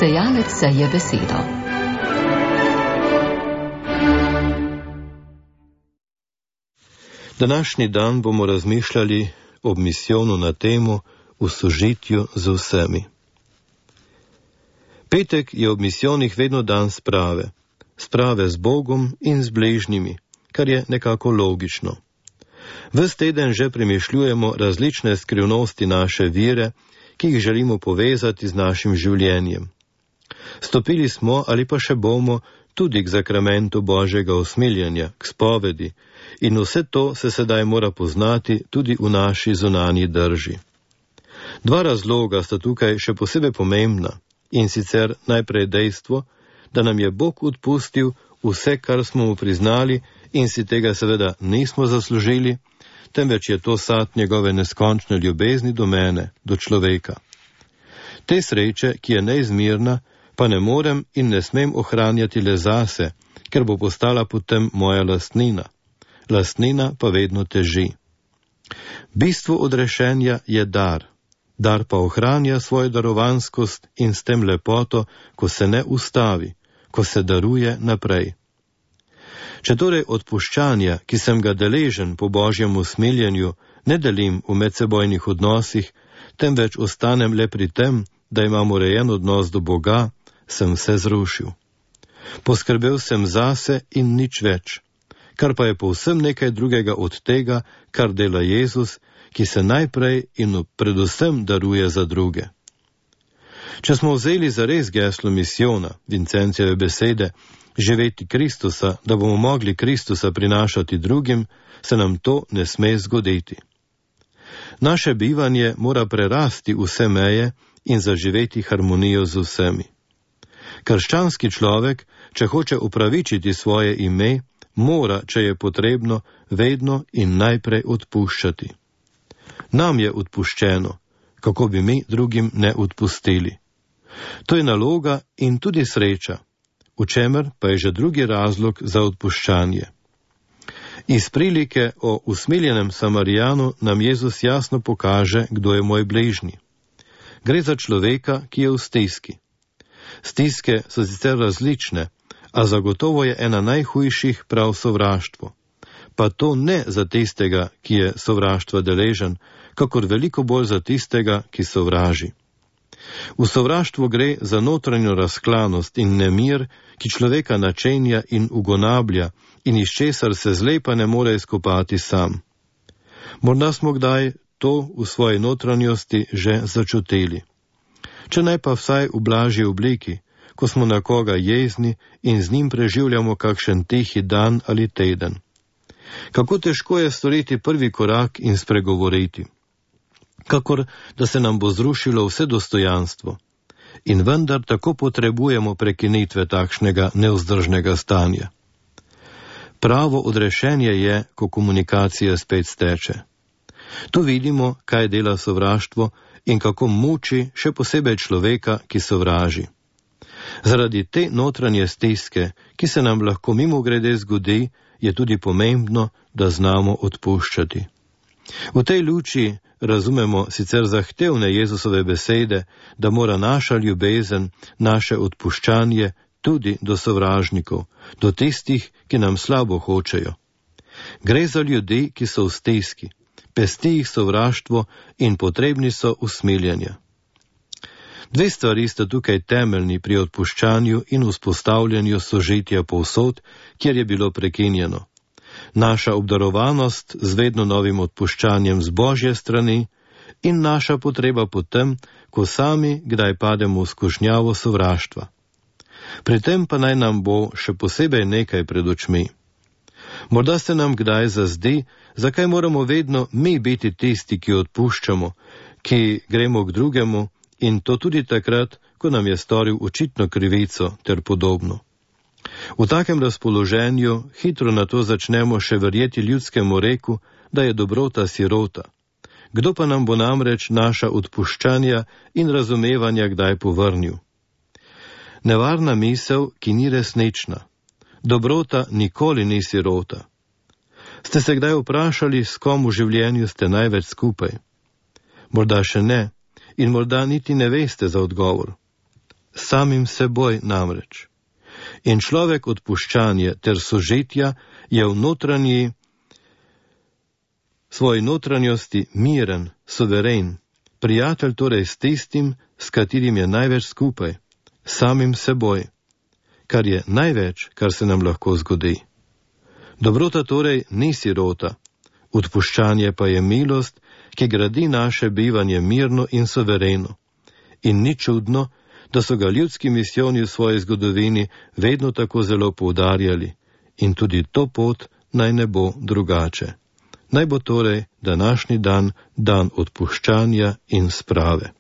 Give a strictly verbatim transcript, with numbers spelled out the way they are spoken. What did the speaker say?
Sejalec seje besedo. Današnji dan bomo razmišljali ob misijonu na temo v sožitju z vsemi. Petek je ob misijonih vedno dan sprave, sprave z Bogom in z bližnjimi, kar je nekako logično. Ves teden že premišljujemo različne skrivnosti naše vere, ki jih želimo povezati z našim življenjem. Stopili smo ali pa še bomo tudi k zakramentu Božjega usmiljenja, k spovedi, in vse to se sedaj mora poznati tudi v naši zunanji drži. Dva razloga sta tukaj še posebej pomembna, in sicer najprej dejstvo, da nam je Bog odpustil vse, kar smo mu priznali in si tega seveda nismo zaslužili, temveč je to sad njegove neskončne ljubezni do mene, do človeka. Te sreče, ki je neizmirna, pa ne morem in ne smem ohranjati le zase, ker bo postala potem moja lastnina. Lastnina pa vedno teži. Bistvo odrešenja je dar. Dar pa ohranja svojo darovanskost in s tem lepoto, ko se ne ustavi, ko se daruje naprej. Če torej odpuščanja, ki sem ga deležen po Božjem usmiljenju, ne delim v medsebojnih odnosih, temveč ostanem le pri tem, da imam urejen odnos do Boga, sem vse zrušil. Poskrbel sem zase in nič več, kar pa je povsem nekaj drugega od tega, kar dela Jezus, ki se najprej in predvsem daruje za druge. Če smo vzeli zares geslo misijona, Vincencijeve besede, živeti Kristusa, da bomo mogli Kristusa prinašati drugim, se nam to ne sme zgoditi. Naše bivanje mora prerasti vse meje in zaživeti harmonijo z vsemi. Krščanski človek, če hoče upravičiti svoje ime, mora, če je potrebno, vedno in najprej odpuščati. Nam je odpuščeno, kako bi mi drugim ne odpustili. To je naloga in tudi sreča, v čemer pa je že drugi razlog za odpuščanje. Iz prilike o usmiljenem Samarijanu nam Jezus jasno pokaže, kdo je moj bližnji. Gre za človeka, ki je v stiski. Stiske so sicer različne, a zagotovo je ena najhujših prav sovraštvo. Pa to ne za tistega, ki je sovraštva deležen, kakor veliko bolj za tistega, ki sovraži. V sovraštvu gre za notranjo razklanost in nemir, ki človeka načenja in ugonablja in iz česar se zlepa ne more izkopati sam. Morda smo kdaj to v svoji notranjosti že začutili. Če naj pa vsaj v blažji obliki, ko smo na koga jezni in z njim preživljamo kakšen tihi dan ali teden. Kako težko je storiti prvi korak in spregovoriti. Kakor da se nam bo zrušilo vse dostojanstvo. In vendar tako potrebujemo prekinitve takšnega nevzdržnega stanja. Pravo odrešenje je, ko komunikacija spet steče. Tu vidimo, kaj dela sovraštvo in kako muči še posebej človeka, ki sovraži. Zaradi te notranje stiske, ki se nam lahko mimogrede zgodi, je tudi pomembno, da znamo odpuščati. V tej luči razumemo sicer zahtevne Jezusove besede, da mora naša ljubezen, naše odpuščanje tudi do sovražnikov, do tistih, ki nam slabo hočejo. Gre za ljudi, ki so v stiski, pesti jih sovraštvo in potrebni so usmiljenja. Dve stvari sta tukaj temeljni pri odpuščanju in vzpostavljanju sožitja povsod, kjer je bilo prekinjeno. Naša obdarovanost z vedno novim odpuščanjem z Božje strani in naša potreba potem, ko sami kdaj pademo v skušnjavo sovraštva. Pri tem pa naj nam bo še posebej nekaj pred očmi. Morda se nam kdaj zazdi, zakaj moramo vedno mi biti tisti, ki odpuščamo, ki gremo k drugemu in to tudi takrat, ko nam je storil očitno krivico ter podobno. V takem razpoloženju hitro na to začnemo še verjeti ljudskemu reku, da je dobrota sirota. Kdo pa nam bo namreč naša odpuščanja in razumevanja kdaj povrnil? Nevarna misel, ki ni resnična. Dobrota nikoli ni sirota. Ste se kdaj vprašali, s kom v življenju ste največ skupaj? Morda še ne in morda niti ne veste za odgovor. samim seboj namreč. In človek odpuščanje ter sožitja je v notranji, svoji notranjosti miren, suveren, prijatelj torej s tistim, s katerim je največ skupaj, samim seboj, kar je največ, kar se nam lahko zgodi. Dobrota torej ni sirota, odpuščanje pa je milost, ki gradi naše bivanje mirno in suvereno. In ni čudno, da so ga ljudski misijoni v svoji zgodovini vedno tako zelo poudarjali, in tudi to pot naj ne bo drugače. Naj bo torej današnji dan dan odpuščanja in sprave.